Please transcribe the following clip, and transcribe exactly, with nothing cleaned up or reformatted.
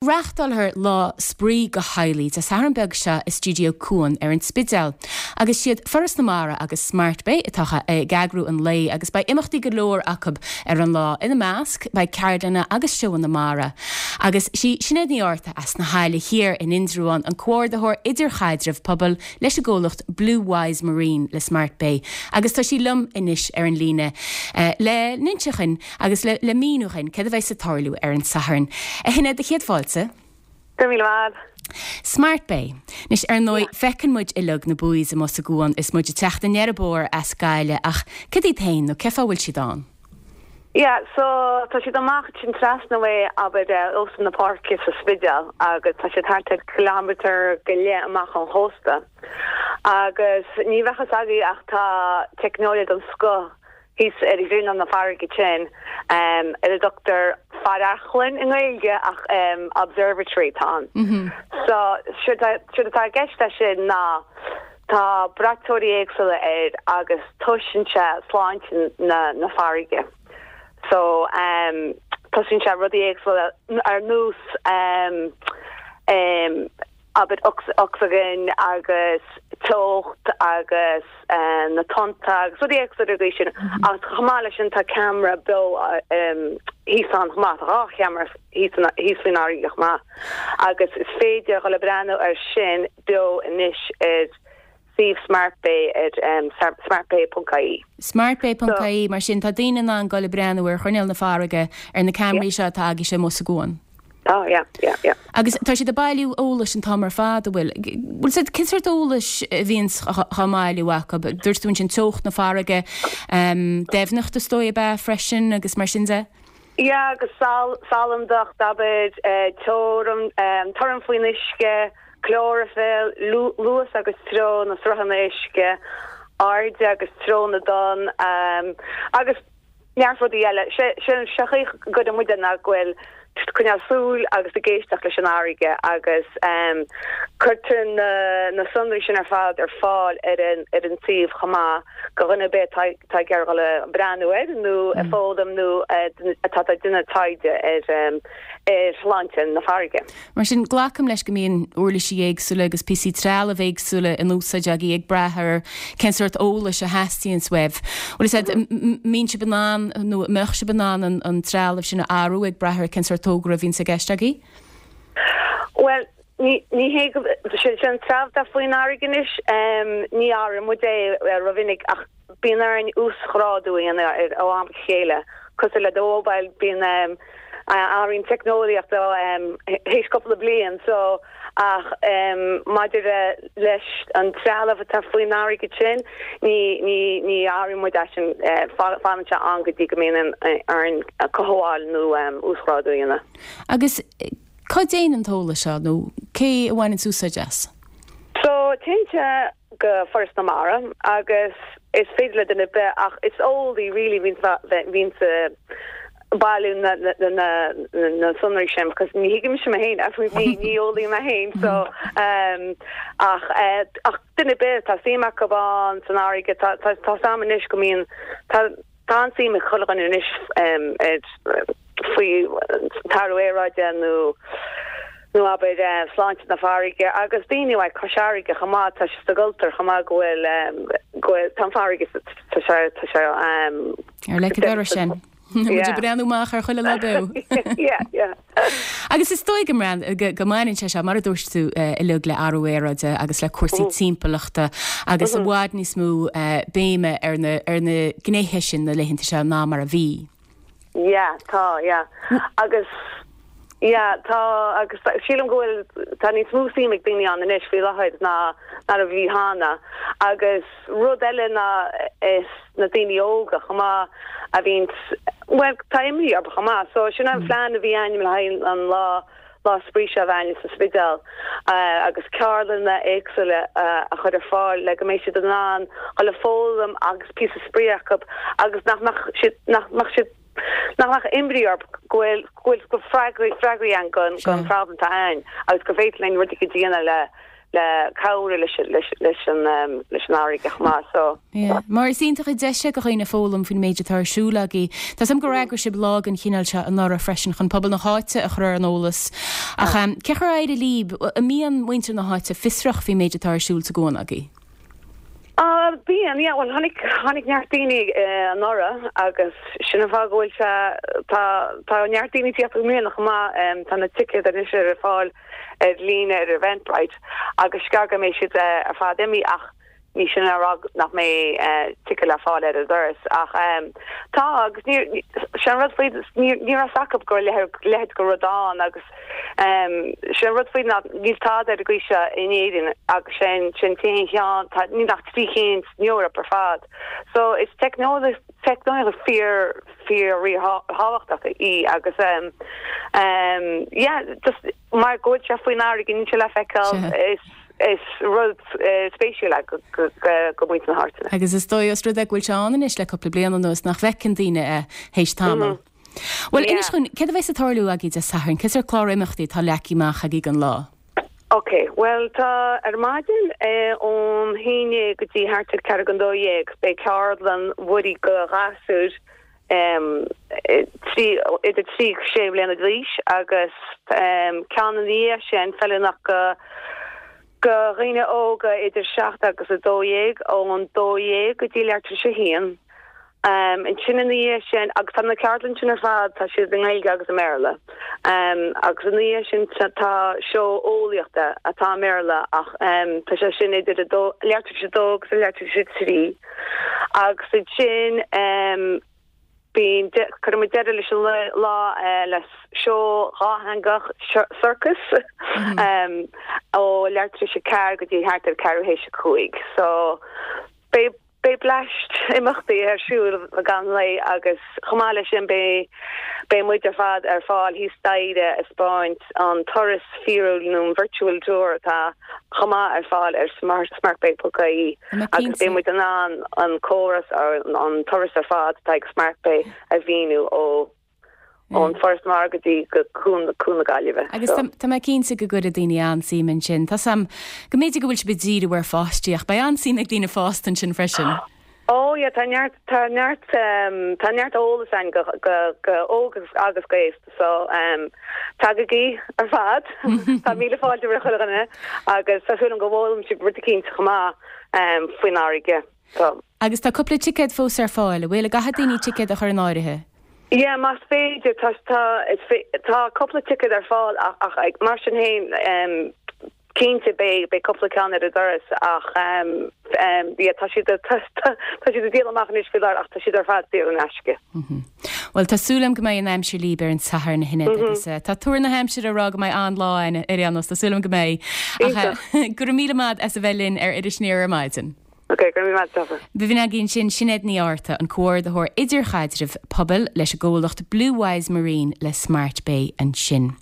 Reáchtálfar lá spraoi do theaghlaigh Dé Sathairn beag seo i Stiúideo Cuan ar an Spidéal. Agus siad Foras na Mara agus Smart Bay atá ag eagrú an lae agus beidh imeachtaí go leor acu ar an lá ina measc beidh ceardlanna agus seóanna mara. Agus sí Sinéad Ní Fhátharta as na hAille Thiar in Indreabhán an comhordaitheoir idirchaidrimh pobail leis an gcomhlacht Blue Wise Marine le Smart Bay. Agus tá sí liom anois ar an líne uh, le n-inse dúinn agus le, le míniú dúinn cad a bheas ag tarlú ar an Satharn. A Shinéad a chéad fáilte. Míle maith. Smart Bay. Anois ar ndóigh feiceann muid uilig na buoys amuigh sa gcuan is muid ag teacht aniar an bóthar as Gaillimh ach cad iad féin nó cén fáth a bhfuil siad ann. Yeah, so tá siad amach sin trasna way abair Óstán na Páirce sa Spidéal agus tá siad thart ar kilometer go leith amach ón chósta. Agus ní bheadh a fhios agaibh ach tá teicneolaíocht den scoth thíos ar ghrinneall na farraige sin um, ar a dtugtar faireachlann i nGaeilge ach um, observatory tá. Mm -hmm. So siad atá gceist sin ná tá braiteoirí éagsúla air agus tomhaiseann sé sláinte na, na farraige. So um, tomhaiseann sé rudaí éagsúla ar nós um, um, abair ocsaigin agus teocht agus um, na tonnta agus rudaí éagsúla go sin agus chomh maith leis sin tá ceamara beo um, thíos ann chomh maith dhá cheamara thíos faoin fharraige chomh maith agus is féidir le breathnú ar sin beo anois ar suíomh Smart Bay ar um, smartbay.ie. Smartbay.ie mar sin tá daoine in ann dul ag breathnú ar ghrinneall na farraige ar na ceamaraí seo atá agaibhse amuigh sa gcuan. Oh, yeah, yeah, yeah. Agus tá siad ag bailiú eolais an t-am ar fad bhfuil. Bhfuil siad cén sórt eolais a bhíonn á bhailiú acu, dúirt tú sin teocht na farraige um, doimhneacht is dóigh be freisin agus mar sin de? Ja, agus sal salandacht abair uh, torann um, torann faoin uisce, clóraifill, luas agus treo na sruthanna uisce, airde agus treo na dtonn um, agus neart rudaí eile sé se go muide na bhfuil coinneáil súil agus ag éisteacht leis an fharraige agus um, cuirtear na, na sonraí sin ar fad ar fáil ar an ar an suíomh chomh maith do dhuine ar bith tá ag iarraidh breathnú air nó mm. foghlaim nó atá ag déanamh taighde ar um, ar shláinte na farraige. Mar sin glacaim leis go mbíonn uirlisí éagsúla agus píosaí trealamh éagsúla in úsáid agaibh ag brath ar cén sórt eolais a theastaíonn uaibh. Bhfuil sé mbíonn sibh in ann nó mbeadh sibh in ann an, an trealamh sin a athrú ag brath ar cén sórt togra a bhíonn i gceist agaibh? Well, ní ní hé sin sin trealamh faoin fharraige anois um, ní athraíonn muid é rómhinic ach bíonn ar an uasghrádú ar ó am go chéile cosúil le do mobile bíonn um, athraíonn teicneolaíocht um, théis cúpla bliain so ach um, maidir leis an trealamh atá faoin fharraige sin ní ní ní athraíonn muid sin uh, fanann sé an go dtí go mbíonn ar an cothabháil nó um, uasghrádú ina. Agus cá dtéann an t-eolas seo nó cé a bhaineann úsáid as? So téann sé go Foras na Mara agus is féidir le duine ar bith ach is eolaí really bhíonn bailiú na na na na sonraí sin because ní thuigim sin mé féin ní ní eolaí mé féin so um, ach uh, ach duine ar bith tá suim acu ann san fharraige tá tá sam anois go mbíonn tá tá suim ag chuile dhuine anois um, faoi athrú aeráide nó nó abair uh, sláinte na farraige agus daoine ag Cois Fharraige chomh maith tá sa gcultúr chomh maith go bhfuil um, go bhfuil tá farraige tá sé tá sé um, Ar le go sin. Muid breathnú amach ar chuile lá beo. Agus is dóigh go go mbaineann sé seo mar a dúirt tú uilig le athrú aeráide agus le cúrsaí timpeallachta agus i bhfad níos mó béime ar na ar na gnéithe sin na laethanta seo ná mar a bhí. Yeah, tá, yeah. Agus yeah, tá agus sílim go bhfuil tá níos mó suim ag daoine ann anois faoi láthair ná ná a bhí cheana agus rud eile ná is na daoine óga chomh maith a bhíonn well tá imní orthu chomh maith so sin an plean a bhí againn le haghaidh an lá lá spraoi seo bhain sa Spidéal uh, agus ceardlanna éagsúla uh, a chur ar fáil le go mbeidh siad in ann le foghlaim agus píosa spraoi acu agus nach mbeadh siad nach mbeadh siad nach mbeadh imní orthu go bhfuil go bhfuil go freagraí freagraí ann don don problem atá ann agus go féidir linn rudaí go déanamh le le cabhrú leis leis leis an um, leis an fharraige chomh maith so Yeah. Mar is iontach an deis é do dhaoine foghlaim faoin méid atá ar siúl agaibh. Tá sam gur eagraigh sibh lá den chineál seo anuraidh freisin chun pobal na háite a chur ar an eolas. Ach um, cé chomh éire líb a mbíonn muintir na háite fiosrach faoin méid atá ar siúl sa gcuan agaibh. Uh, bíonn yeah, well tháinig tháinig neart daoine uh, anuraidh agus sin an fáth go bhfuil sé tá tá neart daoine tíocht mbliana chomh maith um, tá na ticéid anois ar fáil ar líne ar Eventbrite agus scar go mbeidh siad uh, ar fad imithe ach ní sin a rá nach mbeidh uh, ticéid le fáil ar an doras ach um, tá agus ní sin rud faoi ní ní raibh acu go le leithéid de rud ann agus um, sin rud faoi ná níl tada ar gcuise in Éirinn agus sin sin t-aon cheann tá ní nach trí cinn san Eoraip ar fad. So is teicneolaíocht teicneolaíocht fíor fíor ríthábhachtach í agus um, um, yeah, just mar go bhfuil sé faoin fharraige níl sé le feiceáil is is rud uh, spéisiúil go go go go muintir na háite. Agus is dóigh os rud é go bhfuil sé ann anois le cúpla bliain anuas nach bhfeiceann daoine é théis tamaill. Well Yeah. inis chun céard a bheas ag tarlú agaibh Dé Sathairn, cén sórt clár imeachtaí tá leagtha amach agaibh don lá. Ok, well tá ar maidin eh, ón haon déag go dtí thart ar ceathrú don dó dhéag beidh ceardlann mhuirí do ghasúir um, eh, trí idir trí sé bliana d'aois agus um, ceann ina dhiaidh sin feiliúnach go go dhaoine óga idir seacht agus a dó dhéag ón dó dhéag go dtí leathuair tar éis a haon. Um, ansin ina dhiaidh sin agus tá na ceardlanna sin ar fad tá siad i nGaeilge agus i mBéarla. Um, agus ina dhiaidh sin tá tá seó eolaíochta atá i mBéarla ach um, tá sé sin idir a dó leathuair tar éis a dó agus leathuair tar éis a trí. Agus sin um, bíonn cuirimid deireadh leis an lá lá, eh, le seó dátheangach circus um, ó leathuair tar éis a ceathair go dtí thart ar ceathrú théis a cúig. So beidh beidh bleaist imeachtaí ar siúl gan le agus chomh maith leis sin beidh beidh muid ar fad ar fáil thíos staighre ag spáint an turas fíorúil nó an virtual tour atá chomh maith ar fáil ar smart smartbay.ie agus beidh muid in ann an córas ar an turas ar fad atá ag SmartBay a mhíniú ó ón Foras Mara go dtí go Cuan Cuan na Gaillimhe. Agus So- tá mé cinnte go gcuirfidh daoine an-suim ansin. Tá sam go mb'fhéidir go bhfuil sibh ag díriú ar pháistí ach beidh an-suim ag daoine fásta ansin freisin. Oh ja tá neart tá neart um, tá neart eolas ann go go go óg agus agus go haosta so um, tagaigí ar fad Tá míle fáilte roimh chuile dhuine agus tá súil go bhfoghlaimeoidh sibh rud éicint chomh maith um, faoin fharraige. So Agus tá cúpla ticéad fós ar fáil, bhfuil gá do dhaoine ticéad a chur in áirithe. Ja, más féidir tá tá is fé- tá cúpla ticket ar fáil ach ach ag mar sin féin um, cinnte beidh beidh cúpla ceann ar an doras ach um, um, ja, tá siad tá tá siad ag díol amach anois faoi láthair ach tá siad ar fad saor in aisce. Well tá súil agam go mbeidh an aimsir libh ar an Satharn a Shinéad agus uh, tá tuar na haimsire ag rá go mbeidh an-lá ann ar aon nós tá súil agam go mbeidh. Ach, uh, Go raibh míle maith as a bheith linn ar Iris Aniar ar maidin. Ok, go raibh maith agat. B'in againn sin Sinéad Ní Fhátharta an comhordaitheoir idirchaidrimh pobail leis an gcomhlacht Blue Wise Marine le Smart Bay ansin.